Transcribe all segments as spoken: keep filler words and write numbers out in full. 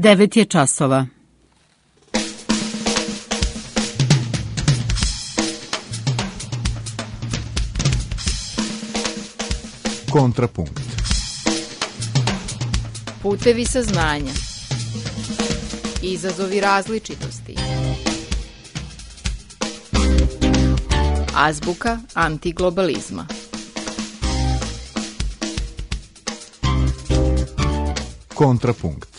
devet je časova. Kontrapunkt. Putevi saznanja. Izazovi različitosti. Azbuka antiglobalizma. Kontrapunkt.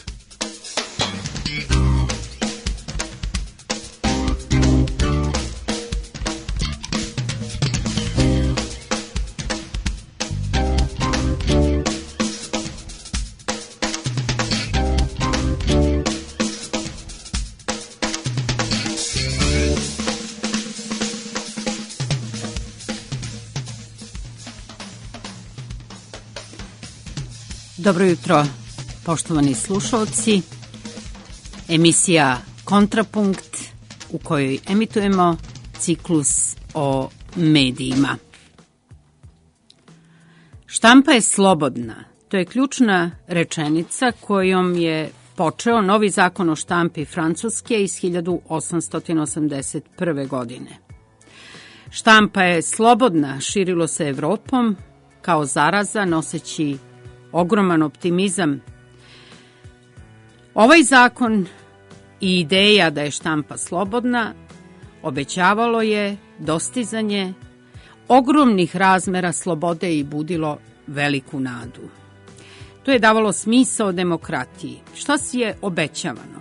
Dobro jutro, poštovani slušalci. Emisija Kontrapunkt u kojoj emitujemo ciklus o medijima. Štampa je slobodna. To je ključna rečenica kojom je počeo novi zakon o štampi Francuske iz hiljadu osamsto osamdeset prve. godine. Štampa je slobodna, širilo se Evropom kao zaraza noseći ogroman optimizam. Ovaj zakon i ideja da je štampa slobodna obećavalo je dostizanje ogromnih razmera slobode i budilo veliku nadu. To je davalo smisao demokratiji. Šta si je obećavano?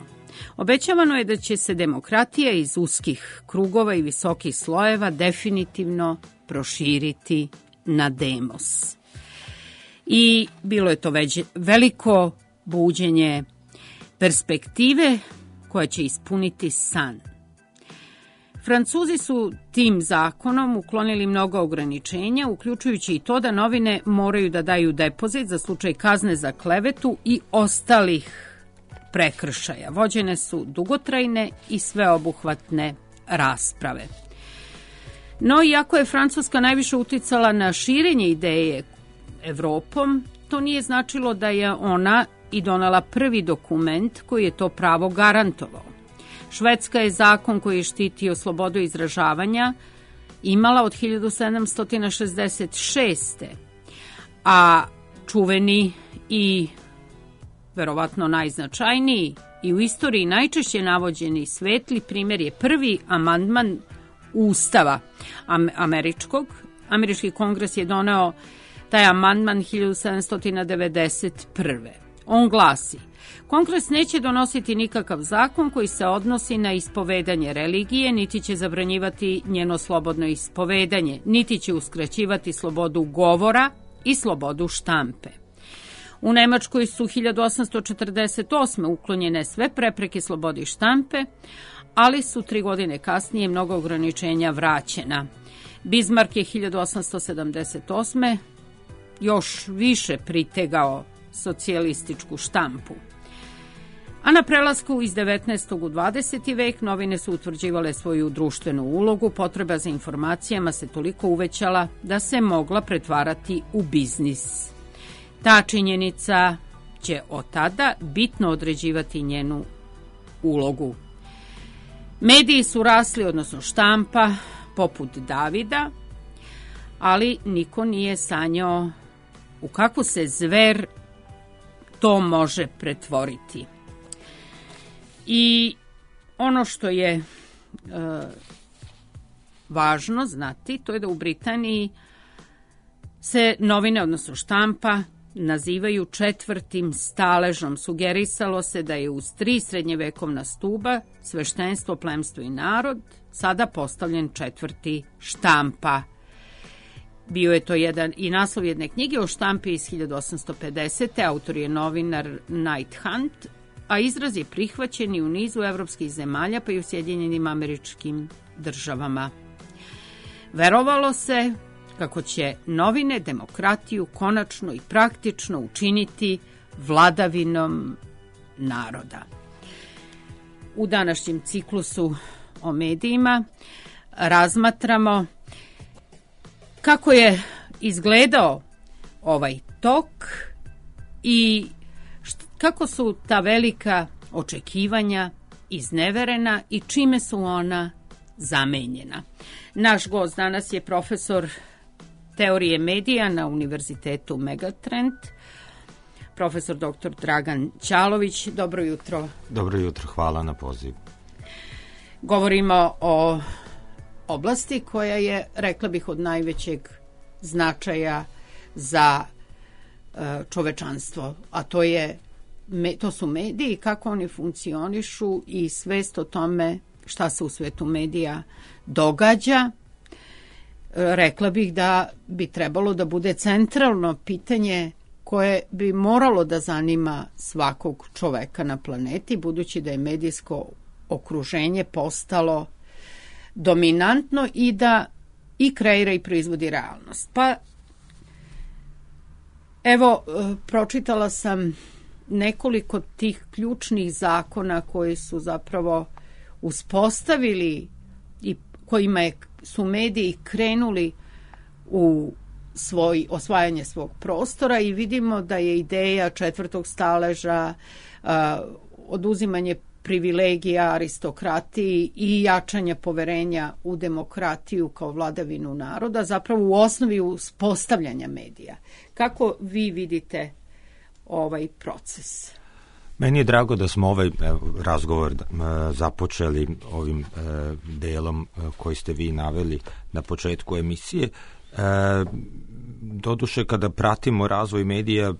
Obećavano je da će se demokratija iz uskih krugova i visokih slojeva definitivno proširiti na demos. I bilo je to već veliko buđenje perspektive koja će ispuniti san. Francuzi su tim zakonom uklonili mnogo ograničenja, uključujući i to da novine moraju da daju depozit za slučaj kazne za klevetu i ostalih prekršaja. Vođene su dugotrajne i sveobuhvatne rasprave. No, iako je Francuska najviše uticala na širenje ideje Evropom, to nije značilo da je ona i donela prvi dokument koji je to pravo garantovao. Švedska je zakon koji je štitio slobodu izražavanja imala od hiljadu sedamsto šezdeset šeste. A čuveni i verovatno najznačajniji i u istoriji najčešće navođeni svetli primjer je prvi amandman Ustava američkog. Američki kongres je doneo taj amandman hiljadu sedamsto devedeset prve. On glasi: Kongres neće donositi nikakav zakon koji se odnosi na ispovedanje religije, niti će zabranjivati njeno slobodno ispovedanje, niti će uskraćivati slobodu govora i slobodu štampe. U Nemačkoj su hiljadu osamsto četrdeset osme uklonjene sve prepreke slobodi štampe, ali su tri godine kasnije mnogo ograničenja vraćena. Bismarck je hiljadu osamsto sedamdeset osme još više pritegao socijalističku štampu. A na prelasku iz devetnaestog u dvadeseti vek novine su utvrđivale svoju društvenu ulogu, potreba za informacijama se toliko uvećala da se mogla pretvarati u biznis. Ta činjenica će od tada bitno određivati njenu ulogu. Mediji su rasli, odnosno štampa, poput Davida, ali niko nije sanjao u kakvu se zver to može pretvoriti. I ono što je e, važno znati, to je da u Britaniji se novine, odnosno štampa, nazivaju četvrtim staležom. Sugerisalo se da je uz tri srednjevekovna stuba, sveštenstvo, plemstvo i narod, sada postavljen četvrti štampa. Bio je to jedan i naslov jedne knjige o štampi iz hiljadu osamsto pedesete. Autor je novinar Knight Hunt, a izraz je prihvaćen i u nizu evropskih zemalja, pa i u Sjedinjenim Američkim Državama. Verovalo se kako će novine demokratiju konačno i praktično učiniti vladavinom naroda. U današnjem ciklusu o medijima razmatramo kako je izgledao ovaj tok i kako su ta velika očekivanja izneverena i čime su ona zamenjena. Naš gost danas je profesor teorije medija na Univerzitetu Megatrend, profesor doktor Dragan Ćalović. Dobro jutro. Dobro jutro, hvala na pozivu. Govorimo o oblasti koja je, rekla bih, od najvećeg značaja za čovečanstvo, a to je to su mediji, kako oni funkcionišu i svest o tome šta se u svetu medija događa. Rekla bih da bi trebalo da bude centralno pitanje koje bi moralo da zanima svakog čoveka na planeti, budući da je medijsko okruženje postalo dominantno i da i kreira i proizvodi realnost. Pa evo, pročitala sam nekoliko tih ključnih zakona koji su zapravo uspostavili i kojima je, su mediji krenuli u svoj, osvajanje svog prostora i vidimo da je ideja četvrtog staleža, uh, oduzimanje privilegija aristokratiji i jačanja poverenja u demokratiju kao vladavinu naroda, zapravo u osnovi uspostavljanja medija. Kako vi vidite ovaj proces? Meni je drago da smo ovaj razgovor započeli ovim delom koji ste vi naveli na početku emisije. Doduše, kada pratimo razvoj medija,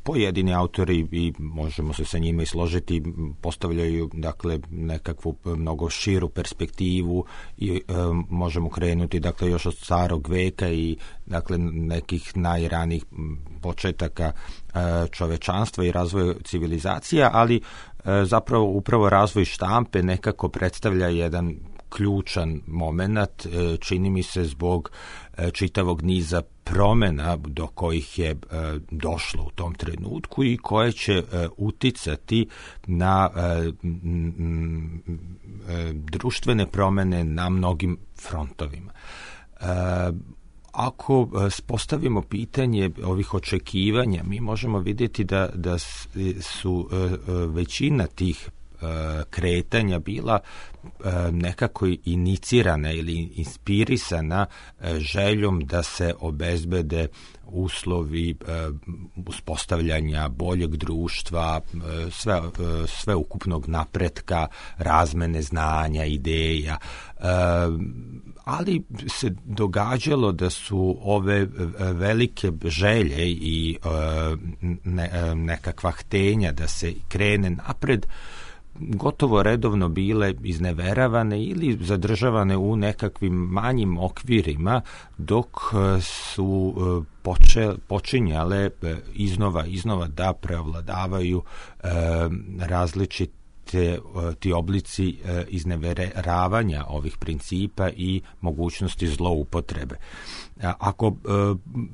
pojedini autori, i možemo se sa njima i složiti, postavljaju dakle nekakvu mnogo širu perspektivu i e, možemo krenuti dakle još od starog veka i dakle nekih najranijih početaka e, čovečanstva i razvoja civilizacija, ali e, zapravo upravo razvoj štampe nekako predstavlja jedan ključan moment, čini mi se, zbog čitavog niza promena do kojih je došlo u tom trenutku i koje će uticati na društvene promene na mnogim frontovima. Ako postavimo pitanje ovih očekivanja, mi možemo vidjeti da, da su većina tih kretanja bila nekako inicirana ili inspirisana željom da se obezbede uslovi uspostavljanja boljeg društva, sve, sve ukupnog napretka, razmene znanja, ideja, ali se događalo da su ove velike želje i nekakva htenja da se krene napred gotovo redovno bile izneveravane ili zadržavane u nekakvim manjim okvirima, dok su poče, počinjale iznova iznova da preovladavaju e, različite Te, ti oblici e, izneveravanja ovih principa i mogućnosti zloupotrebe. A, ako e,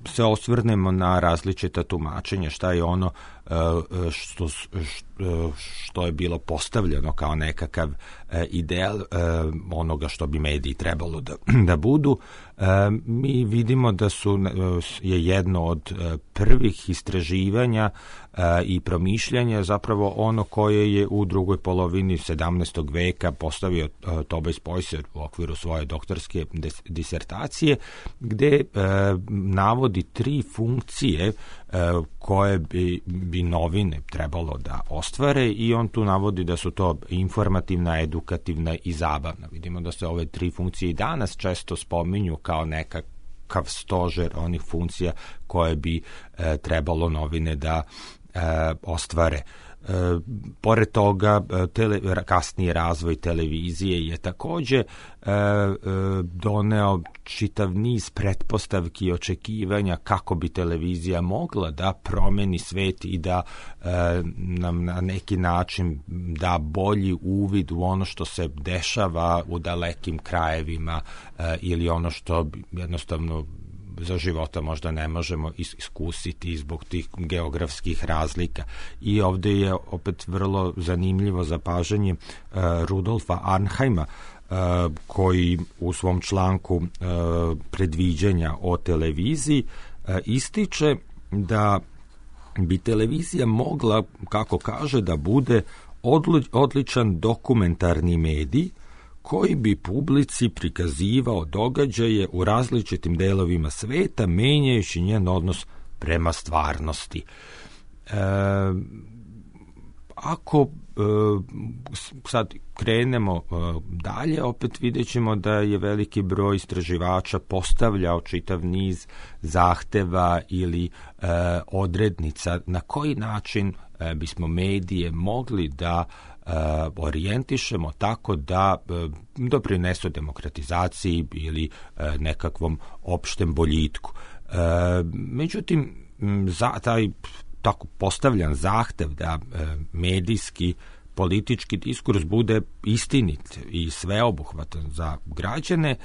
se osvrnemo na različita tumačenja, šta je ono e, što, što je bilo postavljeno kao nekakav e, ideal e, onoga što bi mediji trebalo da, da budu, e, mi vidimo da su je jedno od prvih istraživanja i promišljanja zapravo ono koje je u drugoj polovini sedamnaestog veka postavio Tobias Poisser u okviru svoje doktorske disertacije, gde e, navodi tri funkcije e, koje bi, bi novine trebalo da ostvare i on tu navodi da su to informativna, edukativna i zabavna. Vidimo da se ove tri funkcije i danas često spominju kao nekak kav stožer onih funkcija koje bi e, trebalo novine da e, ostvare. E, pored toga, tele, kasniji razvoj televizije je takođe e, e, doneo čitav niz pretpostavki i očekivanja kako bi televizija mogla da promeni svet i da e, nam na neki način da bolji uvid u ono što se dešava u dalekim krajevima e, ili ono što jednostavno za života možda ne možemo iskusiti zbog tih geografskih razlika. I ovde je opet vrlo zanimljivo zapažanje uh, Rudolfa Arnheima, uh, koji u svom članku uh, predviđanja o televiziji uh, ističe da bi televizija mogla, kako kaže, da bude odličan dokumentarni medij koji bi publici prikazivao događaje u različitim delovima sveta, menjajući njen odnos prema stvarnosti. E, ako e, sad krenemo e, dalje, opet vidjet ćemo da je veliki broj istraživača postavljao čitav niz zahteva ili e, odrednica na koji način e, bismo medije mogli da e, orijentišemo tako da e, doprinesu demokratizaciji ili e, nekakvom opštem boljitku. E, međutim, za taj tako postavljan zahtev da e, medijski politički diskurs bude istinit i sveobuhvatan za građane,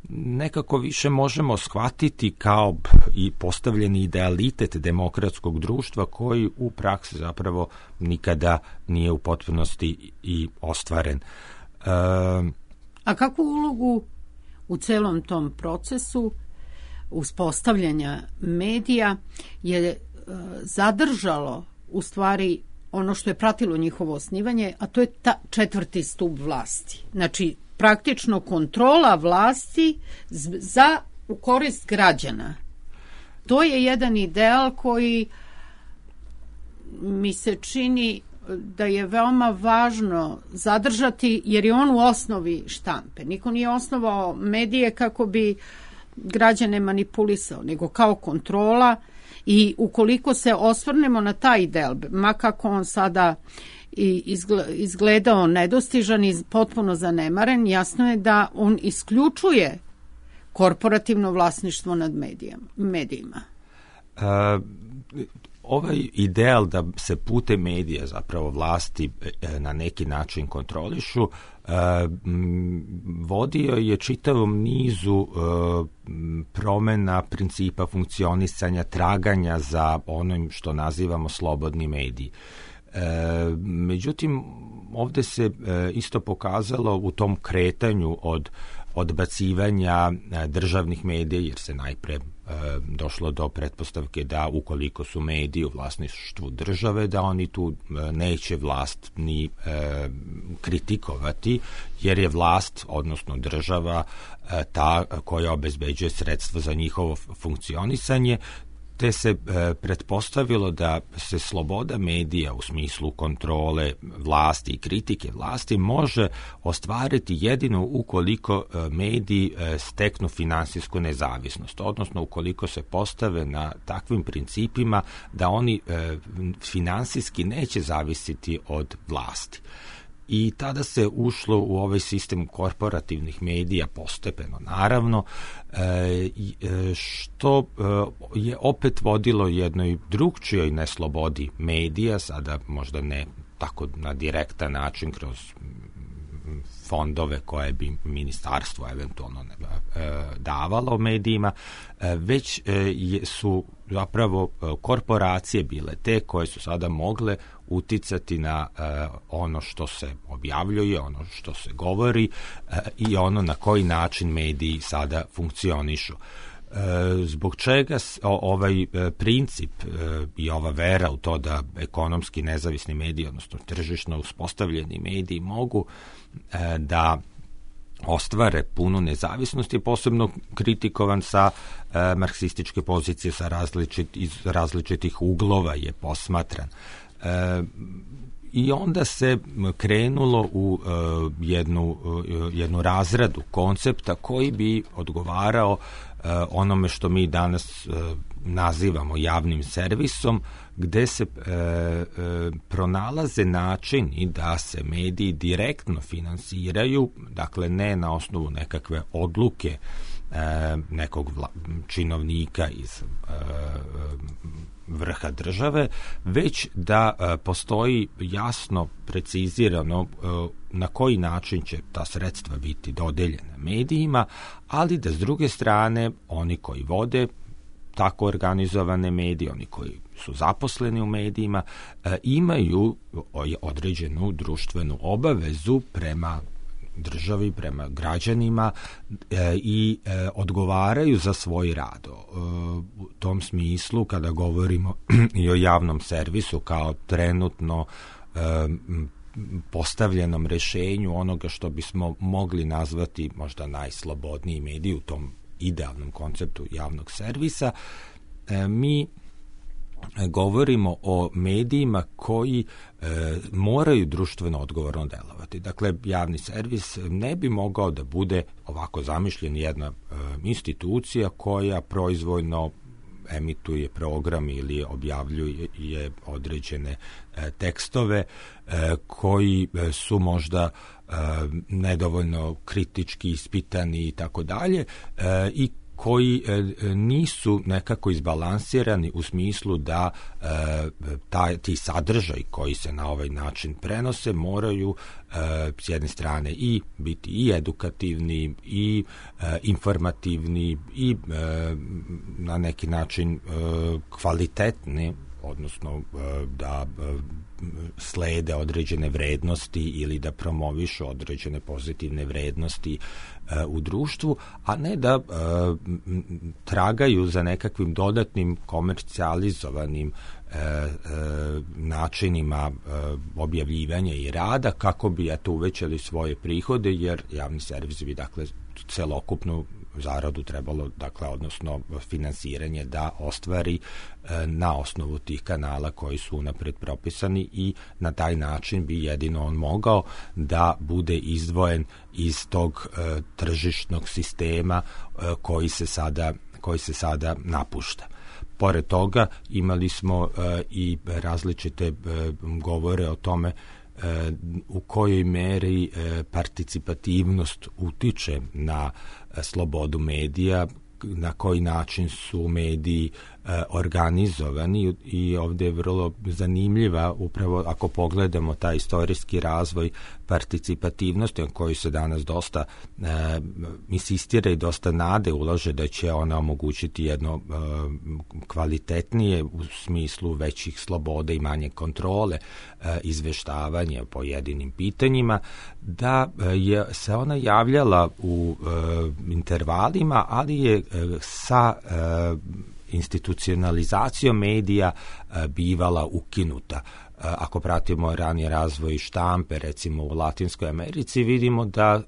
nekako više možemo shvatiti kao i postavljeni idealitet demokratskog društva koji u praksi zapravo nikada nije u potpunosti i ostvaren. E, A kakvu ulogu u celom tom procesu uspostavljanja medija je e, zadržalo u stvari ono što je pratilo njihovo osnivanje, a to je ta četvrti stup vlasti. Znači, praktično kontrola vlasti za u korist građana. To je jedan ideal koji mi se čini da je veoma važno zadržati, jer je on u osnovi štampe. Niko nije osnovao medije kako bi građane manipulisao, nego kao kontrola. I ukoliko se osvrnemo na taj ideal, ma kako on sada izgledao nedostižan i potpuno zanemaren, jasno je da on isključuje korporativno vlasništvo nad medijima. Uh, ovaj ideal da se putem medija zapravo vlasti na neki način kontrolišu uh, vodio je čitavom nizu uh, promena principa funkcionisanja, traganja za onim što nazivamo slobodni mediji. E, međutim, ovde se e, isto pokazalo u tom kretanju od odbacivanja e, državnih medija, jer se najpre e, došlo do pretpostavke da ukoliko su mediji u vlasništvu države, da oni tu e, neće vlast ni e, kritikovati, jer je vlast, odnosno država, e, ta koja obezbeđuje sredstva za njihovo funkcionisanje, te se e, pretpostavilo da se sloboda medija u smislu kontrole vlasti i kritike vlasti može ostvariti jedino ukoliko e, mediji e, steknu finansijsku nezavisnost, odnosno ukoliko se postave na takvim principima da oni e, finansijski neće zavisiti od vlasti. I tada se ušlo u ovaj sistem korporativnih medija postepeno, naravno, što je opet vodilo jednoj drugčijoj neslobodi medija, sada možda ne tako na direktan način kroz fondove koje bi ministarstvo eventualno davalo medijima, već su zapravo korporacije bile te koje su sada mogle uticati na ono što se objavljuje, ono što se govori i ono na koji način mediji sada funkcionišu. Zbog čega ovaj princip i ova vera u to da ekonomski nezavisni mediji, odnosno tržišno uspostavljeni mediji mogu da ostvare punu nezavisnost je posebno kritikovan sa e, marksističke pozicije, sa različit, iz različitih uglova je posmatran. E, I onda se krenulo u e, jednu, e, jednu razradu koncepta koji bi odgovarao e, onome što mi danas e, nazivamo javnim servisom, gde se e, e, pronalaze načini da se mediji direktno finansiraju, dakle ne na osnovu nekakve odluke e, nekog vla, činovnika iz e, vrha države, već da e, postoji jasno precizirano e, na koji način će ta sredstva biti dodeljena medijima, ali da s druge strane oni koji vode tako organizovane medije, oni koji su zaposleni u medijima, e, imaju određenu društvenu obavezu prema državi, prema građanima e, i e, odgovaraju za svoj rad. E, u tom smislu, kada govorimo i o javnom servisu kao trenutno e, postavljenom rešenju onoga što bismo mogli nazvati možda najslobodniji medij u tom idealnom konceptu javnog servisa, e, mi govorimo o medijima koji e, moraju društveno odgovorno delovati. Dakle, javni servis ne bi mogao da bude ovako zamišljen jedna e, institucija koja proizvoljno emituje program ili objavljuje određene e, tekstove e, koji su možda e, nedovoljno kritički ispitani i tako dalje e, i koji e, nisu nekako izbalansirani u smislu da e, taj, ti sadržaj koji se na ovaj način prenose moraju e, s jedne strane i biti i edukativni i e, informativni i e, na neki način e, kvalitetni, odnosno e, da e, slede određene vrednosti ili da promovišu određene pozitivne vrednosti e, u društvu, a ne da e, tragaju za nekakvim dodatnim komercijalizovanim e, e, načinima e, objavljivanja i rada kako bi eto uvećali svoje prihode, jer javni servis bi dakle celokupnu zaradu trebalo, dakle, odnosno finansiranje da ostvari e, na osnovu tih kanala koji su unapred propisani i na taj način bi jedino on mogao da bude izdvojen iz tog e, tržišnog sistema e, koji se sada koji se sada napušta. Pored toga imali smo e, i različite e, govore o tome e, u kojoj meri e, participativnost utiče na e, slobodu medija, na koji način su mediji e, organizovani i ovdje je vrlo zanimljiva upravo ako pogledamo taj istorijski razvoj participativnosti o kojoj se danas dosta e, insistira i dosta nade ulaže da će ona omogućiti jedno e, kvalitetnije u smislu većih sloboda i manje kontrole e, izveštavanja po pojedinim pitanjima, da je se ona javljala u e, intervalima, ali je e, sa e, institucionalizacijom medija e, bivala ukinuta. Ako pratimo ranije razvoj štampe, recimo u Latinskoj Americi, vidimo da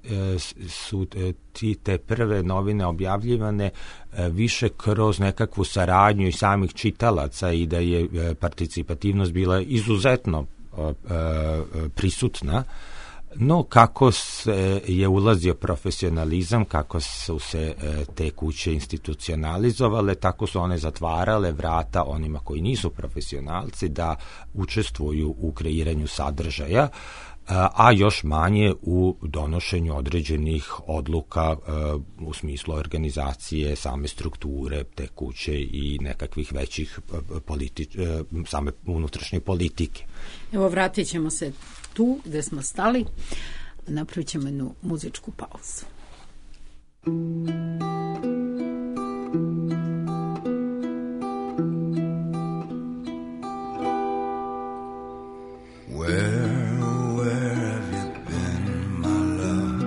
su ti te prve novine objavljivane više kroz nekakvu saradnju i samih čitalaca i da je participativnost bila izuzetno prisutna. No, kako se je ulazio profesionalizam, kako su se e, te kuće institucionalizovale, tako su one zatvarale vrata onima koji nisu profesionalci da učestvuju u kreiranju sadržaja, a još manje u donošenju određenih odluka e, u smislu organizacije, same strukture te kuće i nekakvih većih politi- e, same unutrašnje politike. Evo, vratit ćemo se tu gde smo stali, napravit ćemo jednu muzičku pauzu. Where, where have you been, my love?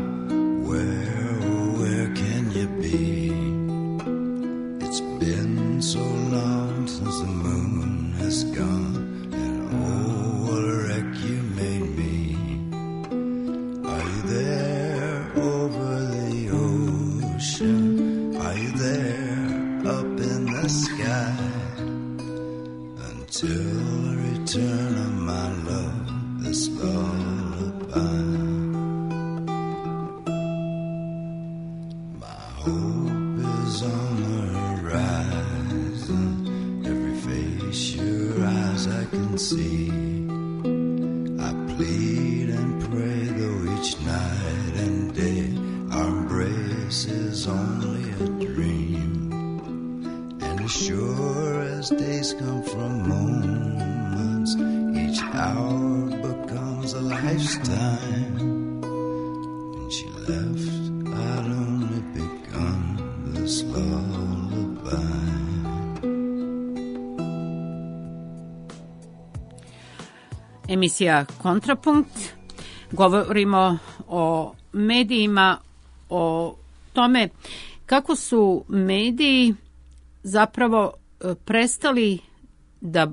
Where, where can you be? It's been so long since the moon has gone, and oh, what a wreck you made me. Are you there over the ocean? Are you there up in the sky? Until the return of my love, this lullaby. My hope is on the horizon, every face your eyes I can see. I plead and pray, though each night and day our embrace is only a dream. And as sure as days come from moments, each hour becomes a lifetime. When she left, I'd only begun this lullaby. Emisija Kontrapunkt. Govorimo o medijima, o tome kako su mediji zapravo prestali da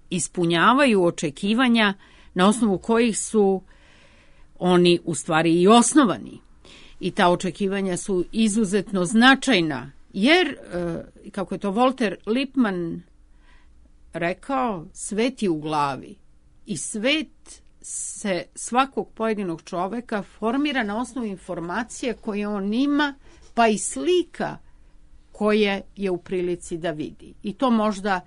ispunjavaju očekivanja na osnovu kojih su oni u stvari i osnovani. I ta očekivanja su izuzetno značajna, jer, kako je to Walter Lippmann rekao, svet je u glavi i svet se svakog pojedinog čoveka formira na osnovu informacije koje on ima, pa i slika koje je u prilici da vidi. I to možda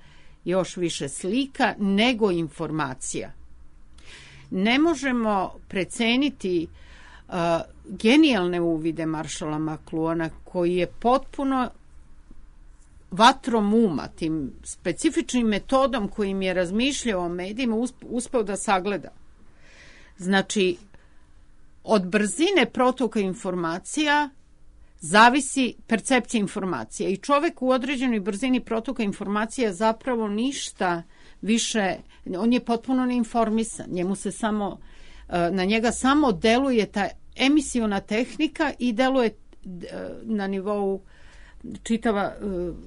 još više slika nego informacija. Ne možemo preceniti uh, genijalne uvide Marshalla McLuhana, koji je potpuno vatrom uma, tim specifičnim metodom kojim je razmišljao o medijima, uspeo da sagleda. Znači, od brzine protoka informacija zavisi percepcija informacija i čovek u određenoj brzini protoka informacija zapravo ništa više, on je potpuno neinformisan, njemu se samo, na njega samo deluje ta emisiona tehnika i deluje na nivou čitava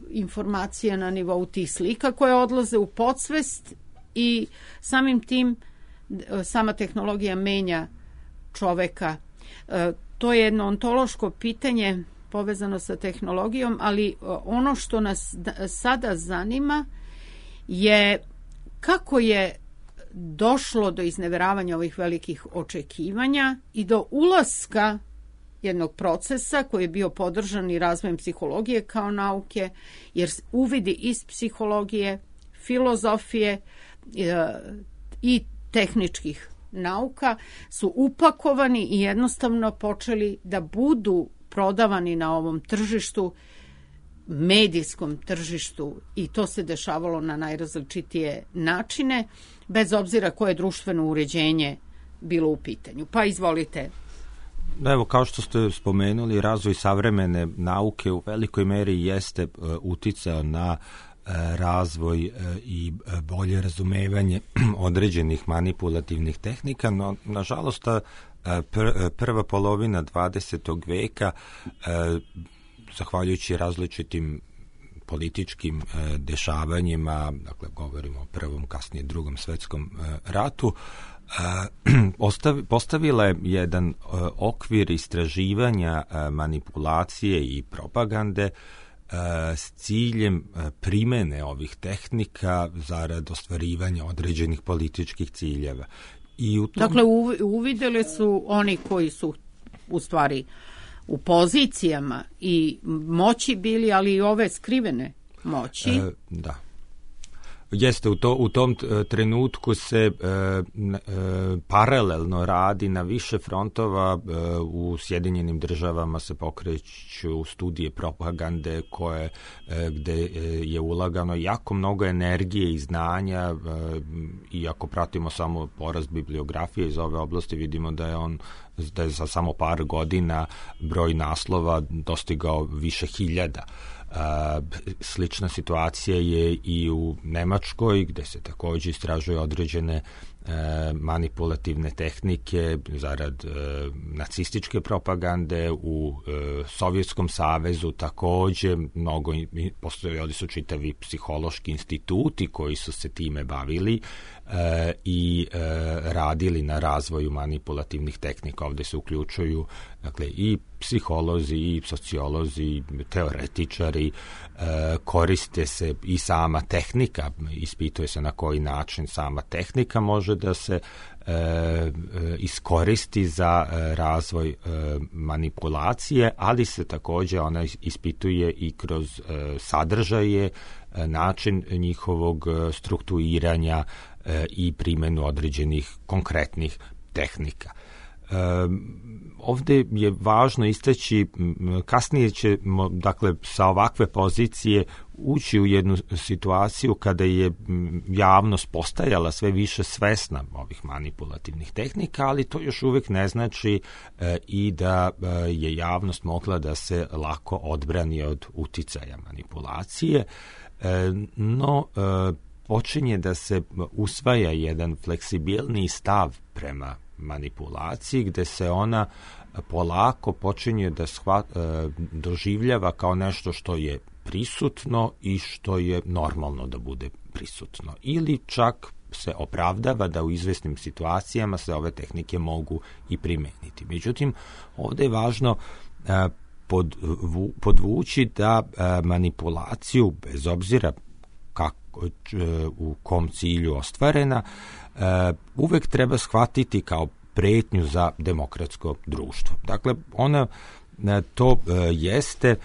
informacija na nivou tih slika koje odlaze u podsvest i samim tim sama tehnologija menja čoveka. To je jedno ontološko pitanje povezano sa tehnologijom, ali ono što nas sada zanima je kako je došlo do izneveravanja ovih velikih očekivanja i do ulaska jednog procesa koji je bio podržan i razvojem psihologije kao nauke, jer uvidi iz psihologije, filozofije i tehničkih nauka su upakovani i jednostavno počeli da budu prodavani na ovom tržištu, medijskom tržištu, i to se dešavalo na najrazličitije načine, bez obzira koje društveno uređenje bilo u pitanju. Pa izvolite. Evo, kao što ste spomenuli, razvoj savremene nauke u velikoj meri jeste uh, uticao na uh, razvoj uh, i uh, bolje razumevanje određenih manipulativnih tehnika, no nažalost ta uh, pr- prva polovina dvadesetog veka, uh, zahvaljujući različitim političkim uh, dešavanjima, dakle govorimo o prvom, kasnije drugom svetskom uh, ratu, Uh, postavila je jedan uh, okvir istraživanja uh, manipulacije i propagande uh, s ciljem uh, primene ovih tehnika zarad ostvarivanja određenih političkih ciljeva. I u tom... Dakle, uvidjeli su oni koji su u stvari u pozicijama i moći bili, ali i ove skrivene moći. Uh, da. Jeste, u, to, u tom trenutku se e, e, paralelno radi na više frontova. E, u Sjedinjenim državama se pokreću studije propagande koje, e, gde je ulagano jako mnogo energije i znanja, e, i ako pratimo samo porast bibliografije iz ove oblasti, vidimo da je on da je za samo par godina broj naslova dostigao više hiljada. Uh, slična situacija je i u Nemačkoj, gde se također istražuju određene uh, manipulativne tehnike zarad uh, nacističke propagande. U uh, Sovjetskom savezu također mnogo, postojali su čitavi psihološki instituti koji su se time bavili uh, i uh, radili na razvoju manipulativnih tehnika. Ovdje se uključuju, dakle, i psiholozi, i sociolozi, i teoretičari, e, koriste se i sama tehnika, ispituje se na koji način sama tehnika može da se e, e, iskoristi za e, razvoj e, manipulacije, ali se također ona ispituje i kroz e, sadržaje, e, način njihovog strukturiranja e, i primjenu određenih konkretnih tehnika. Um, ovdje je važno istaći, kasnije ćemo, dakle, sa ovakve pozicije ući u jednu situaciju kada je javnost postajala sve više svesna ovih manipulativnih tehnika, ali to još uvijek ne znači e, i da e, je javnost mogla da se lako odbrani od uticaja manipulacije, e, no e, počinje da se usvaja jedan fleksibilniji stav prema manipulaciji, gde se ona polako počinje da shva, doživljava kao nešto što je prisutno i što je normalno da bude prisutno. Ili čak se opravdava da u izvesnim situacijama se ove tehnike mogu i primeniti. Međutim, ovde je važno podvu, podvući da manipulaciju, bez obzira kako, u kom cilju ostvarena, uvek treba shvatiti kao pretnju za demokratsko društvo. Dakle, ona to jeste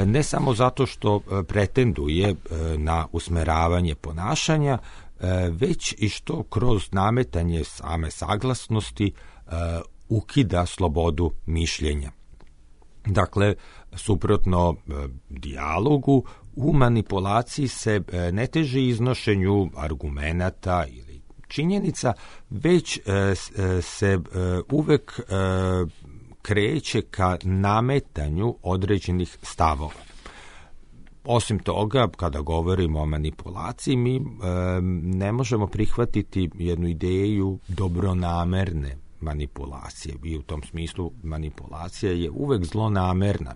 ne samo zato što pretenduje na usmeravanje ponašanja, već i što kroz nametanje same saglasnosti ukida slobodu mišljenja. Dakle, suprotno dijalogu, u manipulaciji se ne teži iznošenju argumenata ili činjenica, već se uvek kreće ka nametanju određenih stavova. Osim toga, kada govorimo o manipulaciji, mi e, ne možemo prihvatiti jednu ideju dobronamerne manipulacije. I u tom smislu manipulacija je uvek zlonamerna,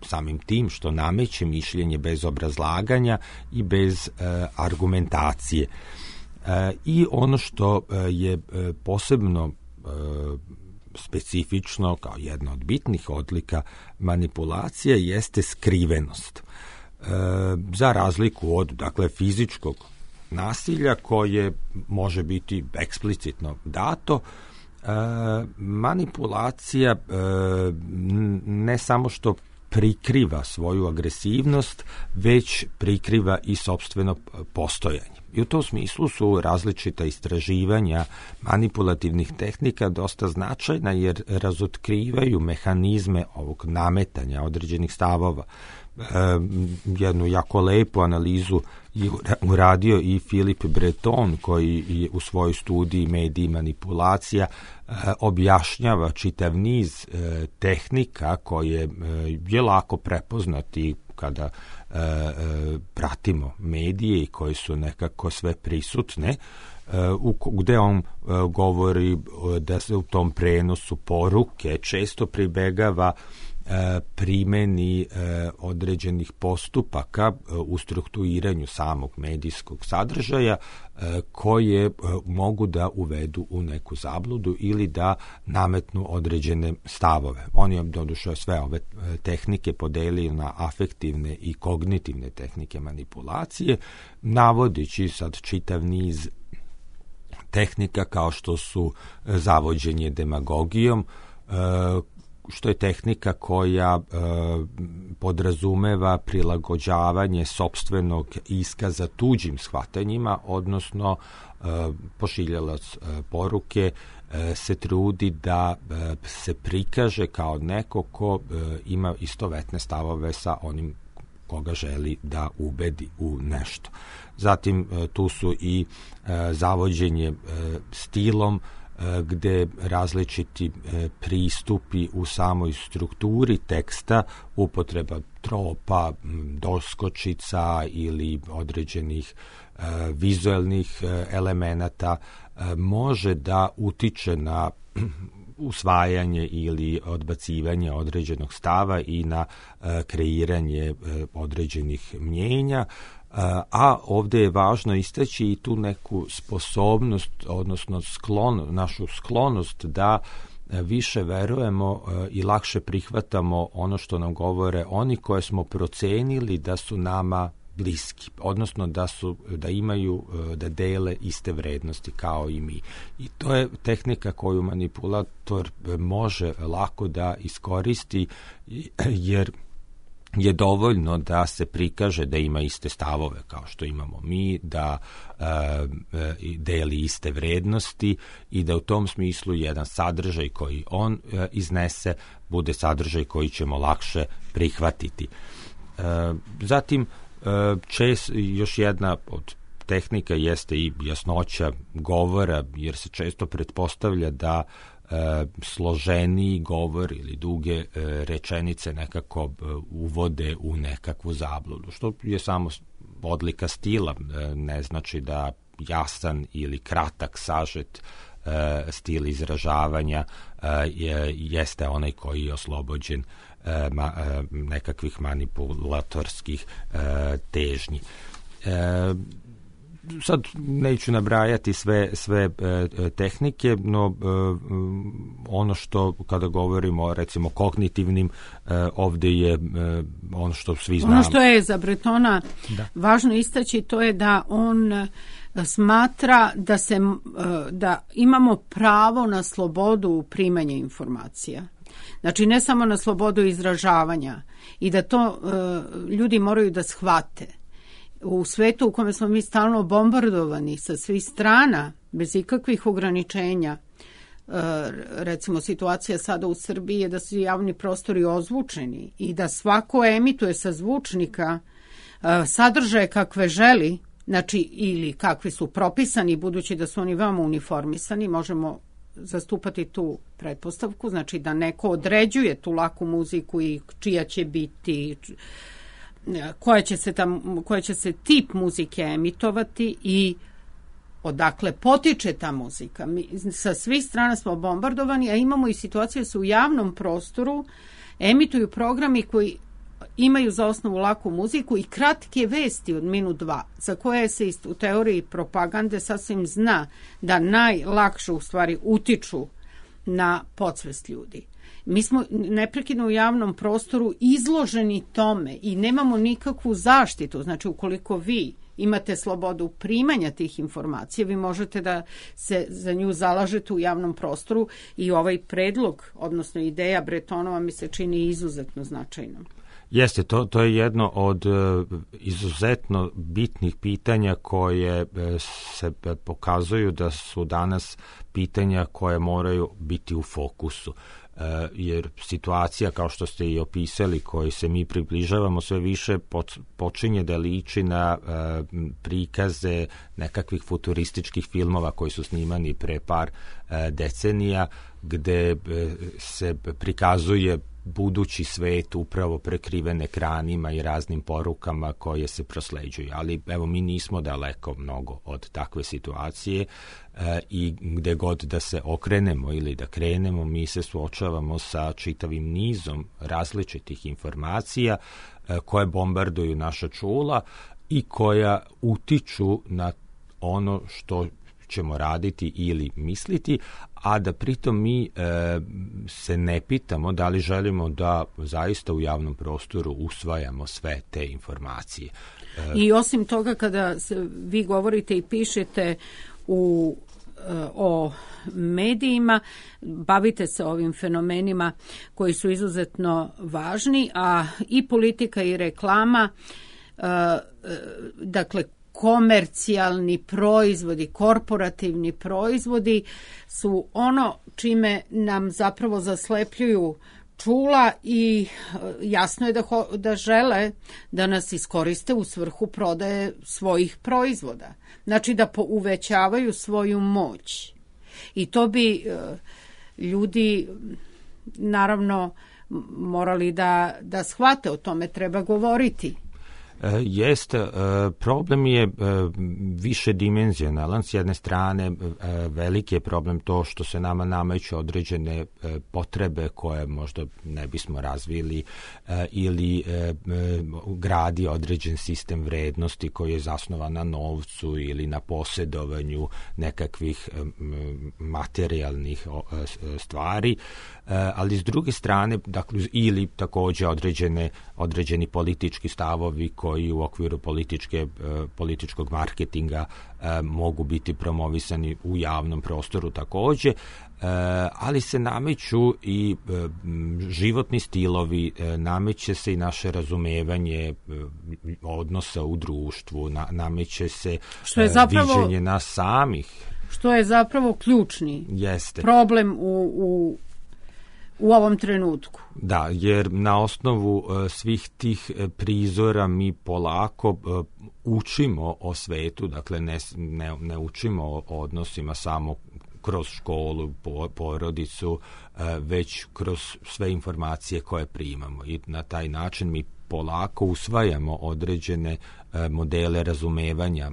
samim tim što nameće mišljenje bez obrazlaganja i bez e, argumentacije. E, I ono što je posebno e, specifično kao jedna od bitnih odlika manipulacije jeste skrivenost. E, za razliku od, dakle, fizičkog nasilja koje može biti eksplicitno dato, e, manipulacija e, ne samo što prikriva svoju agresivnost, već prikriva i sopstveno postojanje. I u tom smislu su različita istraživanja manipulativnih tehnika dosta značajna, jer razotkrivaju mehanizme ovog nametanja određenih stavova. E, jednu jako lepu analizu je uradio i Philippe Breton, koji je u svojoj studiji Mediji i manipulacija e, objašnjava čitav niz e, tehnika koje e, je lako prepoznati kada e, e, pratimo medije i koji su nekako sve prisutne, e, u, gde on e, govori da se u tom prenosu poruke često pribegava primeni određenih postupaka u strukturiranju samog medijskog sadržaja koje mogu da uvedu u neku zabludu ili da nametnu određene stavove. On je doduše sve ove tehnike podelio na afektivne i kognitivne tehnike manipulacije, navodići sad čitav niz tehnika kao što su zavođenje demagogijom, što je tehnika koja e, podrazumeva prilagođavanje sopstvenog iskaza tuđim shvatanjima, odnosno e, pošiljalac e, poruke e, se trudi da e, se prikaže kao neko ko e, ima istovetne stavove sa onim koga želi da ubedi u nešto. Zatim e, tu su i e, zavođenje e, stilom, gde različiti pristupi u samoj strukturi teksta, upotreba tropa, doskočica ili određenih vizuelnih elemenata može da utiče na usvajanje ili odbacivanje određenog stava i na kreiranje određenih mnjenja. A ovde je važno istaći i tu neku sposobnost, odnosno sklon, našu sklonost da više verujemo i lakše prihvatamo ono što nam govore oni koje smo procenili da su nama bliski, odnosno da su da imaju, da dele iste vrednosti kao i mi. I to je tehnika koju manipulator može lako da iskoristi, jer je dovoljno da se prikaže da ima iste stavove kao što imamo mi, da e, deli iste vrednosti i da u tom smislu jedan sadržaj koji on e, iznese bude sadržaj koji ćemo lakše prihvatiti. E, zatim, e, čest, još jedna od tehnika jeste i jasnoća govora, jer se često pretpostavlja da E, složeniji govor ili duge e, rečenice nekako e, uvode u nekakvu zabludu, što je samo odlika stila, e, ne znači da jasan ili kratak sažet stil izražavanja je, jeste onaj koji je oslobođen ma, nekakvih manipulatorskih težnji. Sad neću nabrajati sve, sve e, tehnike, no e, ono što kada govorimo recimo kognitivnim, e, ovde je e, ono što svi znamo. Ono što je za Bretona da. važno istaći, to je da on smatra da, se, da imamo pravo na slobodu primanja informacija. Znači ne samo na slobodu izražavanja i da to e, ljudi moraju da shvate. U svetu u kome smo mi stalno bombardovani sa svih strana, bez ikakvih ograničenja, recimo situacija sada u Srbiji je da su javni prostori ozvučeni i da svako emituje sa zvučnika sadržaje kakve želi, znači ili kakvi su propisani, budući da su oni veoma uniformisani, možemo zastupati tu pretpostavku, znači da neko određuje tu laku muziku i čija će biti, koja će se, tam, koja će se tip muzike emitovati i odakle potiče ta muzika. Mi sa svih strana smo bombardovani, a imamo i situaciju da se u javnom prostoru emituju programi koji imaju za osnovu laku muziku i kratke vesti od minut dva, za koje se u teoriji propagande sasvim zna da najlakše u stvari utiču na podsvest ljudi. Mi smo neprekidno u javnom prostoru izloženi tome i nemamo nikakvu zaštitu. Znači, ukoliko vi imate slobodu primanja tih informacija, vi možete da se za nju zalažete u javnom prostoru i ovaj predlog, odnosno ideja Bretonova mi se čini izuzetno značajnom. Jeste, to, to je jedno od uh, izuzetno bitnih pitanja koje uh, se pokazuju da su danas pitanja koje moraju biti u fokusu. Uh, jer situacija, kao što ste i opisali, koji se mi približavamo sve više, počinje da liči na uh, prikaze nekakvih futurističkih filmova koji su snimani pre par uh, decenija, gde uh, se prikazuje budući svet upravo prekriven ekranima i raznim porukama koje se prosleđuju. Ali evo, mi nismo daleko mnogo od takve situacije e, i gde god da se okrenemo ili da krenemo, mi se suočavamo sa čitavim nizom različitih informacija e, koje bombarduju naša čula i koja utiču na ono što ćemo raditi ili misliti, a da pritom mi e, se ne pitamo da li želimo da zaista u javnom prostoru usvajamo sve te informacije. E, I osim toga, kada se, vi govorite i pišete u, e, o medijima, bavite se ovim fenomenima koji su izuzetno važni, a i politika i reklama, e, e, dakle, komercijalni proizvodi, korporativni proizvodi su ono čime nam zapravo zaslepljuju čula i jasno je da, ho, da žele da nas iskoriste u svrhu prodaje svojih proizvoda. Znači da uvećavaju svoju moć. I to bi e, ljudi naravno morali da, da shvate, o tome treba govoriti. Jeste, problem je više dimenzionalan. S jedne strane, veliki je problem to što se nama nameću određene potrebe koje možda ne bismo razvili ili gradi određen sistem vrednosti koji je zasnovan na novcu ili na posjedovanju nekakvih materijalnih stvari, ali s druge strane, dakle, ili takođe određene, određeni politički stavovi koji u okviru političke, političkog marketinga mogu biti promovisani u javnom prostoru takođe, ali se nameću i životni stilovi, nameće se i naše razumevanje odnosa u društvu, nameće se što je zapravo viđenje nas samih. Što je zapravo ključni Jeste. problem u, u u ovom trenutku. Da, jer na osnovu uh, svih tih uh, prizora mi polako uh, učimo o svetu, dakle ne, ne, ne učimo o odnosima samo kroz školu, po, porodicu, uh, već kroz sve informacije koje primamo i na taj način mi polako usvajamo određene uh, modele razumevanja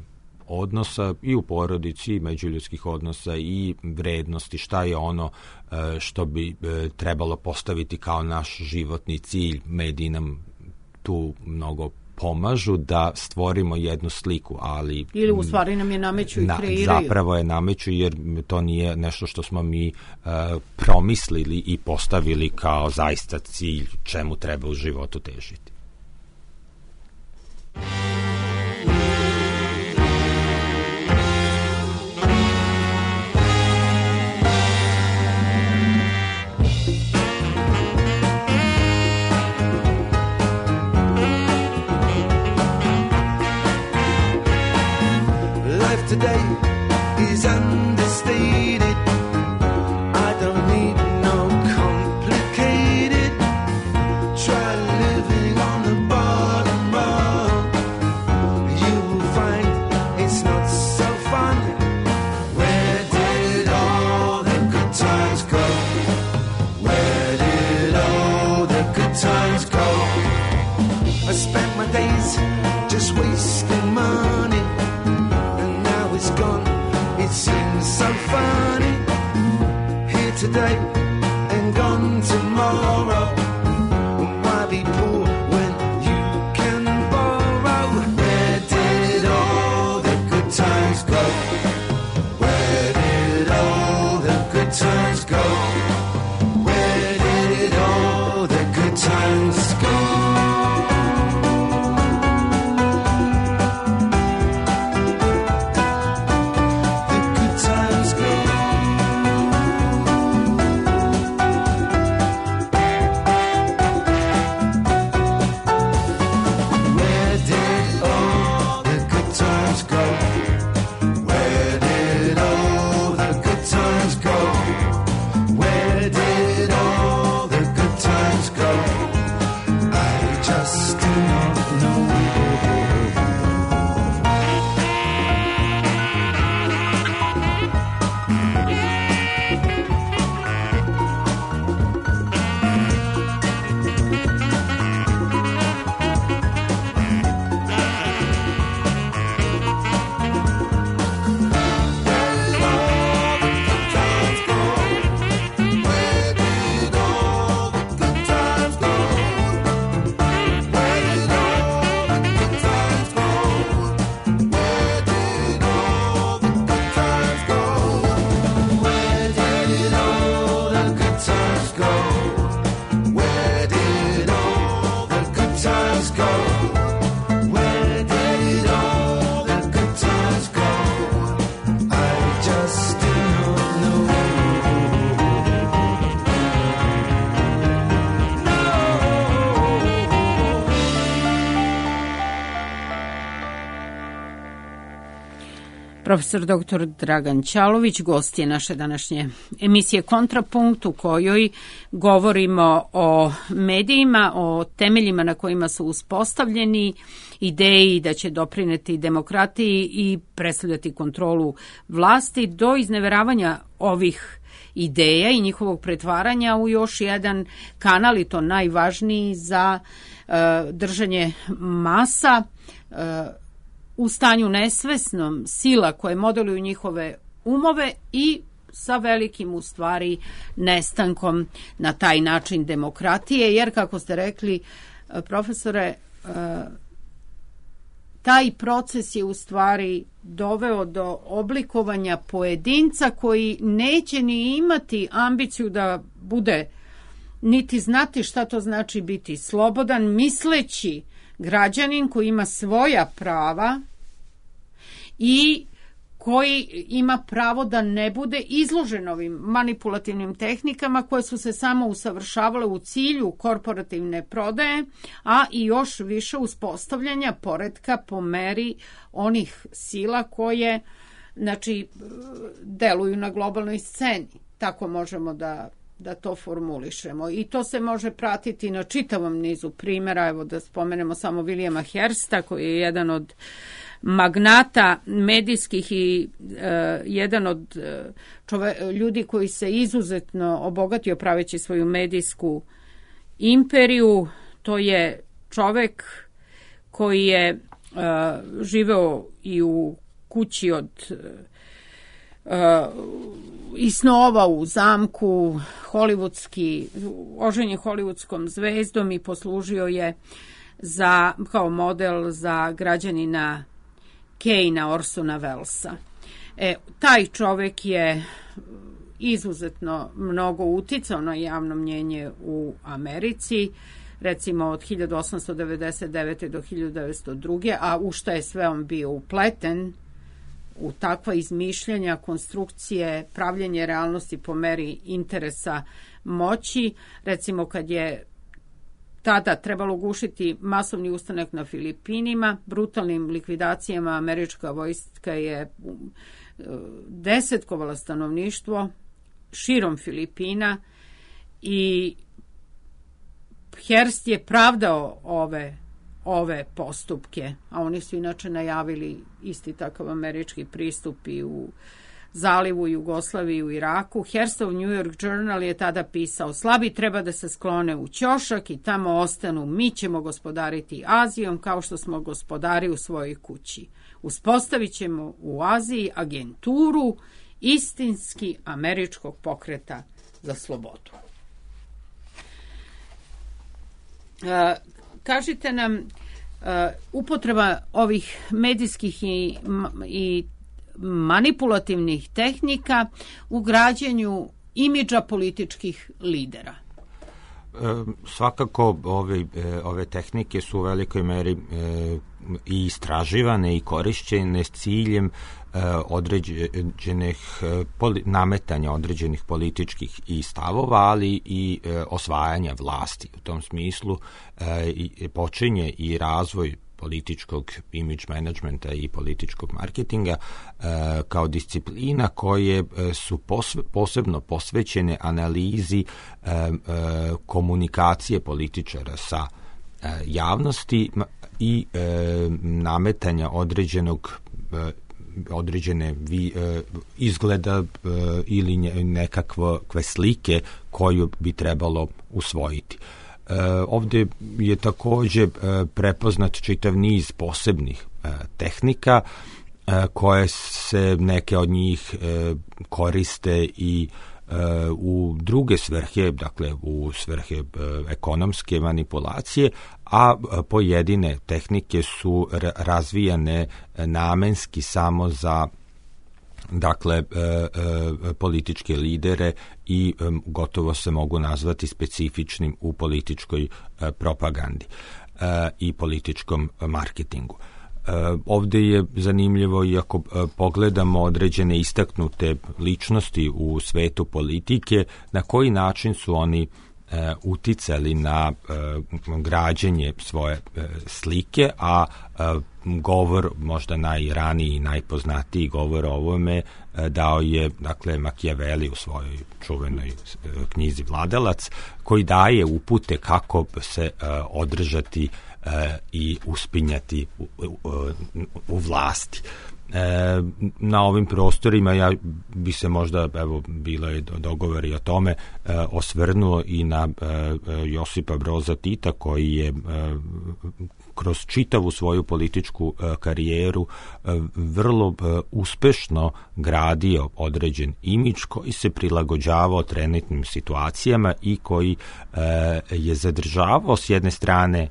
odnosa i u porodici, i međuljudskih odnosa i vrednosti, šta je ono što bi trebalo postaviti kao naš životni cilj. Mediji nam tu mnogo pomažu da stvorimo jednu sliku, ali... Ili u stvari nam je nameću i na, kreiraju. Zapravo je nameću, jer to nije nešto što smo mi uh, promislili i postavili kao zaista cilj čemu treba u životu težiti. Today is understated. I don't need no complicated. Try living on the bottom rung. You will find it's not so fun. Where did all the good times go? Where did all the good times go? I spent my days just wasting money. Gone, it seems so funny. Here today and gone tomorrow. Why be poor when you can borrow? Where did all the good times go? Where did all the good times go? Where did all the good times go? Profesor doktor Dragan Ćalović, gost je naše današnje emisije Kontrapunkt, u kojoj govorimo o medijima, o temeljima na kojima su uspostavljeni, ideji da će doprineti demokratiji i predstavljati kontrolu vlasti, do izneveravanja ovih ideja i njihovog pretvaranja u još jedan kanal, i to najvažniji za uh, držanje masa uh, u stanju nesvesnom, sila koje modeluju njihove umove i sa velikim, u stvari, nestankom na taj način demokratije, jer, kako ste rekli, profesore, taj proces je u stvari doveo do oblikovanja pojedinca koji neće ni imati ambiciju da bude, niti znati šta to znači biti slobodan, misleći građanin koji ima svoja prava i koji ima pravo da ne bude izložen ovim manipulativnim tehnikama koje su se samo usavršavale u cilju korporativne prodaje, a i još više uspostavljanja poretka po meri onih sila koje, znači, deluju na globalnoj sceni. Tako možemo da da to formulišemo. I to se može pratiti na čitavom nizu primjera. Evo da spomenemo samo Williama Hearsta, koji je jedan od magnata medijskih i uh, jedan od uh, čove, ljudi koji se izuzetno obogatio praveći svoju medijsku imperiju. To je čovek koji je uh, živeo i u kući od uh, i snova u zamku, hollywoodski, oženjen hollywoodskom zvezdom i poslužio je za, kao model za građanina Kejna Orsona Wellesa. E, taj čovek je izuzetno mnogo uticao na javno mnjenje u Americi, recimo od hiljadu osamsto devedeset devete. do hiljadu devetsto druge. a u šta je sve on bio upleten, u takva izmišljanja, konstrukcije, pravljenje realnosti po meri interesa moći. Recimo kad je tada trebalo gušiti masovni ustanak na Filipinima, brutalnim likvidacijama američka vojska je desetkovala stanovništvo širom Filipina i Hearst je pravdao ove, ove postupke, a oni su inače najavili isti takav američki pristup i u Zalivu, Jugoslaviji, u Iraku. Hearstov New York Journal je tada pisao: slabi treba da se sklone u ćošak i tamo ostanu, mi ćemo gospodariti Azijom kao što smo gospodari u svojoj kući. Uspostavit ćemo u Aziji agenturu istinski američkog pokreta za slobodu. E, kažite nam, e, upotreba ovih medijskih i, i manipulativnih tehnika u građenju imidža političkih lidera. E, svakako ove, ove tehnike su u velikoj meri e, i istraživane i korišćene s ciljem e, određenih e, poli, nametanja određenih političkih i stavova, ali i e, osvajanja vlasti. U tom smislu e, i, počinje i razvoj političkog image managementa i političkog marketinga e, kao disciplina koje su posve, posebno posvećene analizi e, e, komunikacije političara sa e, javnosti i e, nametanja određenog e, određene vi, e, izgleda e, ili nekakve slike koju bi trebalo usvojiti. E, ovdje je također e, prepoznat čitav niz posebnih e, tehnika e, koje se neke od njih e, koriste i e, u druge svrhe, dakle u svrhe e, ekonomske manipulacije, a pojedine tehnike su razvijane namenski samo za dakle e, e, političke lidere i e, gotovo se mogu nazvati specifičnim u političkoj e, propagandi e, i političkom marketingu. E, ovdje je zanimljivo, iako e, pogledamo određene istaknute ličnosti u svetu politike, na koji način su oni e, uticali na e, građenje svoje e, slike, a e, govor, možda najraniji i najpoznatiji govor o ovome e, dao je, dakle, Machiavelli u svojoj čuvenoj e, knjizi Vladalac, koji daje upute kako se e, održati e, i uspinjati u, u, u vlasti. E, na ovim prostorima ja bi se možda, evo, bilo je dogovor i o tome, e, osvrnuo i na e, Josipa Broza Tita, koji je e, kroz čitavu svoju političku e, karijeru e, vrlo e, uspešno gradio određen imidž koji se prilagođavao trenutnim situacijama i koji e, je zadržavao s jedne strane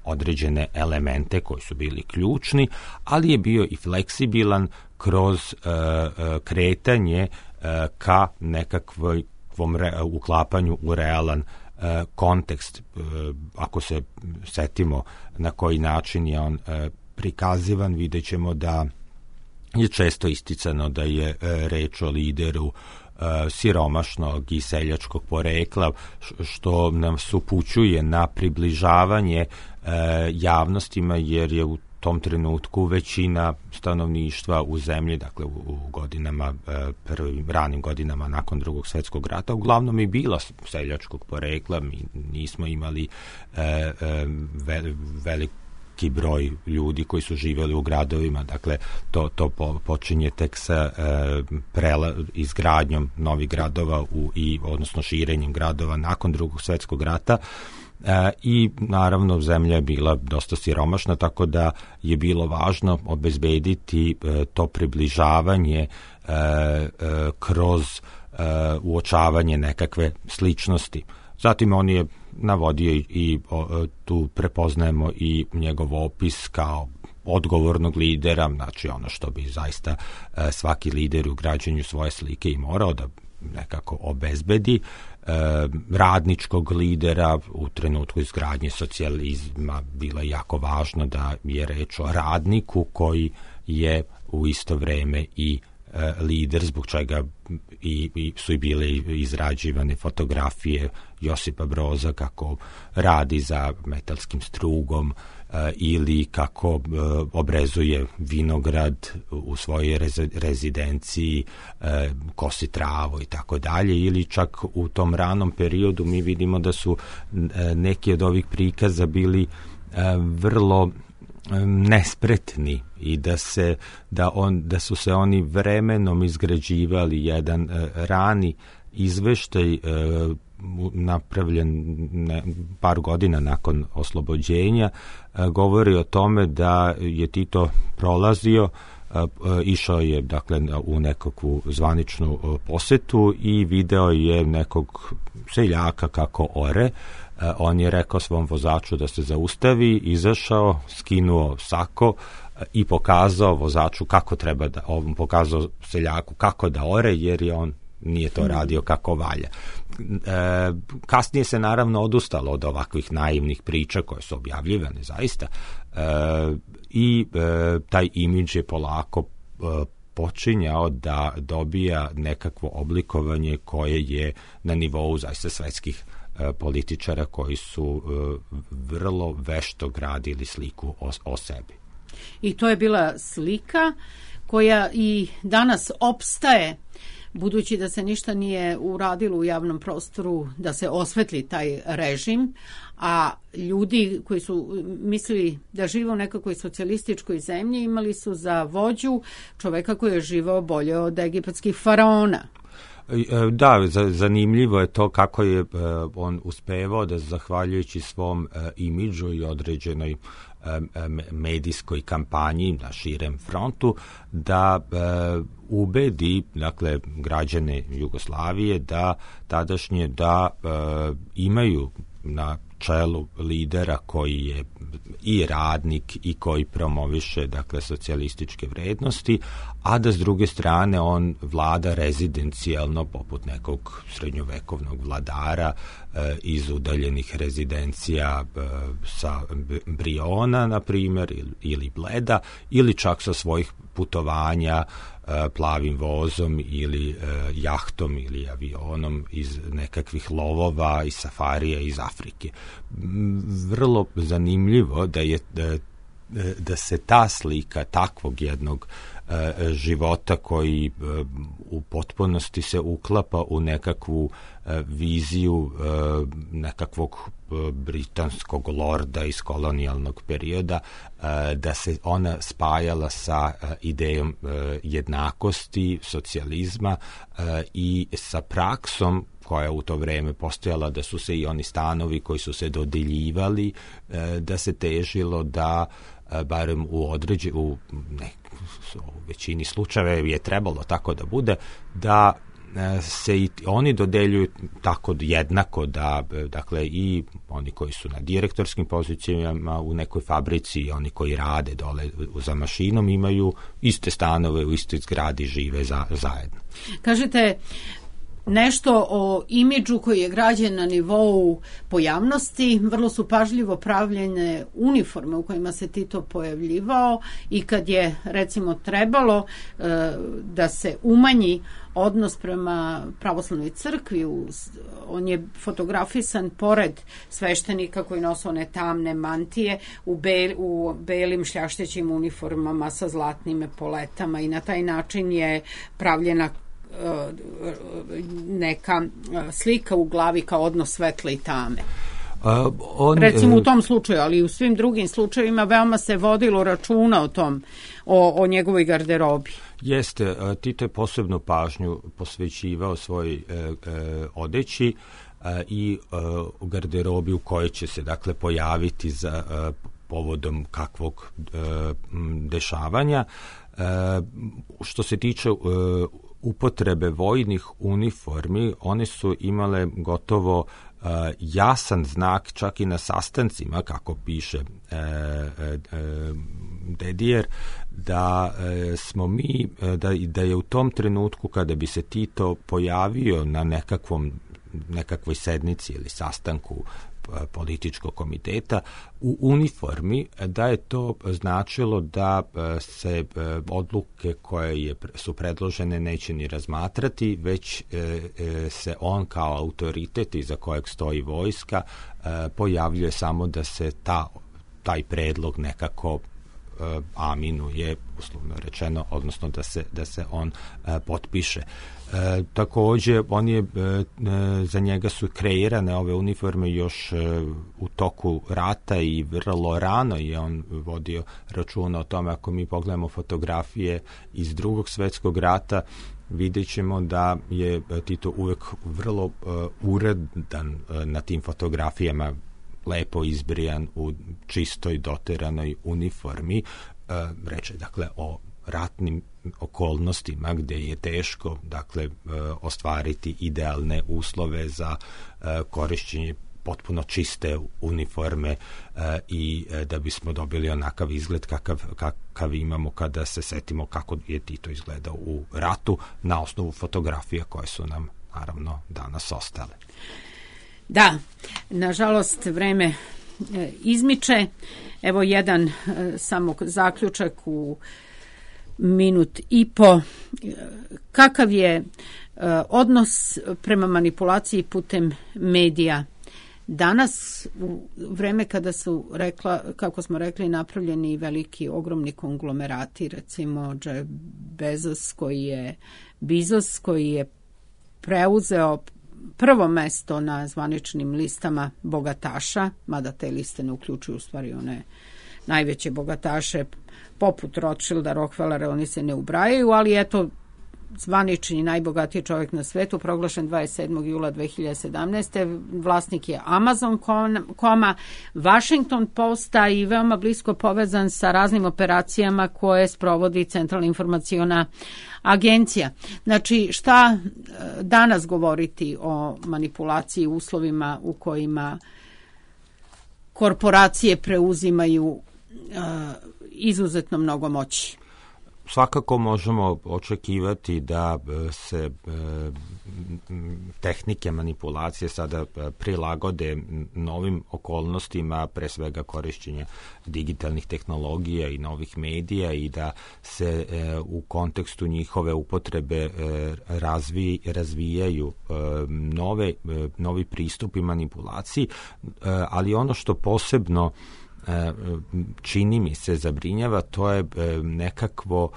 određene elemente koji su bili ključni, ali je bio i fleksibilan kroz e, e, kretanje e, ka nekakvom re, uklapanju u realan e, kontekst. E, ako se setimo na koji način je on e, prikazivan, vidjet ćemo da je često isticano da je e, reč o lideru e, siromašnog i seljačkog porekla, što nam upućuje na približavanje E, javnostima, jer je u tom trenutku većina stanovništva u zemlji, dakle u, u godinama, e, prvim ranim godinama nakon Drugog svjetskog rata, uglavnom i bila seljačkog porekla. Mi nismo imali e, e, ve, veliki broj ljudi koji su živjeli u gradovima, dakle to, to po, počinje tek sa e, prela, izgradnjom novih gradova u, i odnosno širenjem gradova nakon Drugog svjetskog rata. e, i naravno zemlja je bila dosta siromašna, tako da je bilo važno obezbediti e, to približavanje e, e, kroz e, uočavanje nekakve sličnosti. Zatim on je navodio i, i o, tu prepoznajemo i njegov opis kao odgovornog lidera, znači ono što bi zaista e, svaki lider u građenju svoje slike i morao da nekako obezbedi, e, radničkog lidera. U trenutku izgradnje socijalizma bilo je jako važno da je reč o radniku koji je u isto vreme i e, lider, zbog čega i, i su i bile izrađivane fotografije Josipa Broza kako radi za metalskim strugom, ili kako obrezuje vinograd u svojoj rezidenciji, kosi travu i tako dalje, ili čak u tom ranom periodu mi vidimo da su neki od ovih prikaza bili vrlo nespretni i da se da on da su se oni vremenom izgrađivali. Jedan rani izveštaj napravljen ne, par godina nakon oslobođenja govori o tome da je Tito prolazio, išao je dakle u nekakvu zvaničnu posetu i video je nekog seljaka kako ore. On je rekao svom vozaču da se zaustavi, izašao, skinuo sako i pokazao vozaču kako treba da, on pokazao seljaku kako da ore, jer je on nije to radio kako valja. E, kasnije se naravno odustalo od ovakvih naivnih priča koje su objavljivane zaista e, i e, taj imidž je polako e, počinjao da dobija nekakvo oblikovanje koje je na nivou zaista svetskih e, političara koji su e, vrlo vešto gradili sliku o, o sebi. I to je bila slika koja i danas opstaje, budući da se ništa nije uradilo u javnom prostoru da se osvetli taj režim, a ljudi koji su mislili da žive u nekakvoj socijalističkoj zemlji imali su za vođu čoveka koji je živao bolje od egipatskih faraona. Da, zanimljivo je to kako je on uspevao da zahvaljujući svom imidžu i određenoj medijskoj kampanji na širem frontu da e, ubedi dakle građane Jugoslavije da tadašnje da e, imaju na čelu lidera koji je i radnik i koji promoviše dakle socijalističke vrednosti, a da s druge strane on vlada rezidencijalno poput nekog srednjovekovnog vladara e, iz udaljenih rezidencija e, sa Briona na primjer ili, ili Bleda, ili čak sa svojih putovanja e, plavim vozom ili e, jahtom ili avionom iz nekakvih lovova i safarija iz Afrike. Vrlo zanimljivo da je da, da se ta slika takvog jednog e, života koji e, u potpunosti se uklapa u nekakvu e, viziju e, nekakvog e, britanskog lorda iz kolonijalnog perioda, e, da se ona spajala sa e, idejom e, jednakosti, socijalizma e, i sa praksom koja u to vreme postojala, da su se i oni stanovi koji su se dodeljivali, da se težilo da barem u određe, u, ne, u većini slučajeva je trebalo tako da bude, da se i oni dodeljuju tako jednako, da dakle i oni koji su na direktorskim pozicijama u nekoj fabrici i oni koji rade dole za mašinom imaju iste stanove u istoj zgradi, žive za, zajedno. Kažete nešto o imidžu koji je građen na nivou pojavnosti. Vrlo su pažljivo pravljene uniforme u kojima se Tito pojavljivao i kad je recimo trebalo e, da se umanji odnos prema pravoslavnoj crkvi, on je fotografisan pored sveštenika koji nose one tamne mantije u, bel, u belim šljaštećim uniformama sa zlatnim epoletama i na taj način je pravljena neka slika u glavi kao odnos svetle i tame. Uh, on, Recimo u tom slučaju, ali i u svim drugim slučajevima veoma se vodilo računa o tom, o, o njegovoj garderobi. Jeste, Tito je posebnu pažnju posvećivao svoj e, e, odeći. i u garderobi u kojoj će se dakle pojaviti za povodom kakvog dešavanja. Što se tiče upotrebe vojnih uniformi, one su imale gotovo jasan znak čak i na sastancima, kako piše Dedijer, da smo mi, da, da je u tom trenutku kada bi se Tito pojavio na nekakvom, nekakvoj sednici ili sastanku političkog komiteta u uniformi, da je to značilo da se odluke koje je, su predložene neće ni razmatrati, već se on kao autoritet iza kojeg stoji vojska pojavljuje samo da se ta, taj predlog nekako aminuje, uslovno rečeno, odnosno da se, da se on potpiše. E, također, on je, e, za njega su kreirane ove uniforme još e, u toku rata i vrlo rano je on vodio računa o tome. Ako mi pogledamo fotografije iz Drugog svjetskog rata, vidjet ćemo da je Tito uvek vrlo e, uredan e, na tim fotografijama, lepo izbrijan u čistoj doteranoj uniformi. E, reče, dakle, o ratnim okolnostima gdje je teško, dakle, e, ostvariti idealne uslove za e, korišćenje potpuno čiste uniforme e, i e, da bismo dobili onakav izgled kakav, kakav imamo kada se setimo kako je Tito izgledao u ratu na osnovu fotografija koje su nam, naravno, danas ostale. Da, nažalost vreme e, izmiče. Evo jedan e, samo zaključak u minut i po. Kakav je e, odnos prema manipulaciji putem medija danas, u vreme kada su, rekla, kako smo rekli, napravljeni veliki, ogromni konglomerati, recimo Jeff Bezos koji je, Bezos koji je preuzeo prvo mesto na zvaničnim listama bogataša, mada te liste ne uključuju u stvari one najveće bogataše poput Rothschilda, Rockefellera, oni se ne ubrajaju, ali eto, zvanični najbogatiji čovjek na svetu, proglašen dvadeset sedmog jula dve hiljade sedamnaeste. Vlasnik je Amazon koma, Washington Posta i veoma blisko povezan sa raznim operacijama koje sprovodi Centralna informaciona agencija. Znači, šta danas govoriti o manipulaciji, uslovima u kojima korporacije preuzimaju uh, izuzetno mnogo moći? Svakako možemo očekivati da se tehnike manipulacije sada prilagode novim okolnostima, pre svega korišćenja digitalnih tehnologija i novih medija, i da se u kontekstu njihove upotrebe razvi, razvijaju nove, novi pristupi manipulaciji, ali ono što posebno čini mi se zabrinjava, to je nekakvo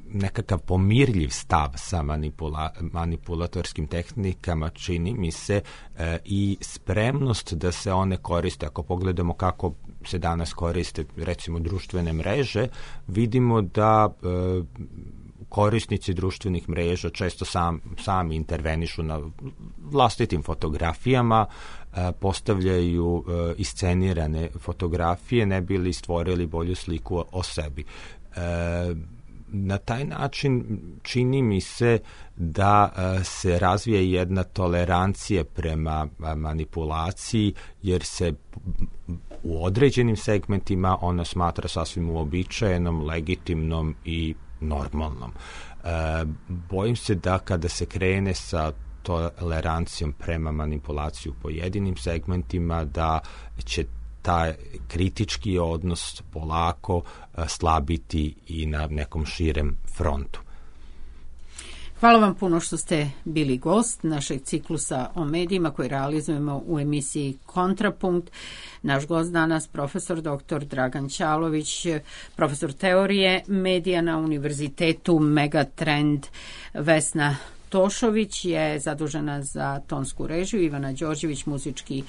nekakav pomirljiv stav sa manipula, manipulatorskim tehnikama, čini mi se, i spremnost da se one koriste. Ako pogledamo kako se danas koriste, recimo, društvene mreže, vidimo da korisnici društvenih mreža često sam, sami intervenišu na vlastitim fotografijama, postavljaju iscenirane fotografije, ne bi li stvorili bolju sliku o sebi. Na taj način čini mi se da se razvija jedna tolerancija prema manipulaciji, jer se u određenim segmentima ona smatra sasvim uobičajenom, legitimnom i normalnom. E, bojim se da kada se krene sa tolerancijom prema manipulaciju u pojedinim segmentima, da će taj kritički odnos polako slabiti i na nekom širem frontu. Hvala vam puno što ste bili gost našeg ciklusa o medijima koji realizujemo u emisiji Kontrapunkt. Naš gost danas, profesor doktor Dragan Ćalović, profesor teorije medija na Univerzitetu Megatrend. Vesna Tošović je zadužena za tonsku režiju, Ivana Đorđević, muzički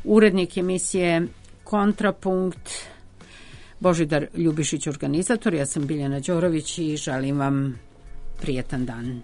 urednik emisije Kontrapunkt, Božidar Ljubišić, organizator. Ja sam Biljana Đorović i želim vam prijetan dan.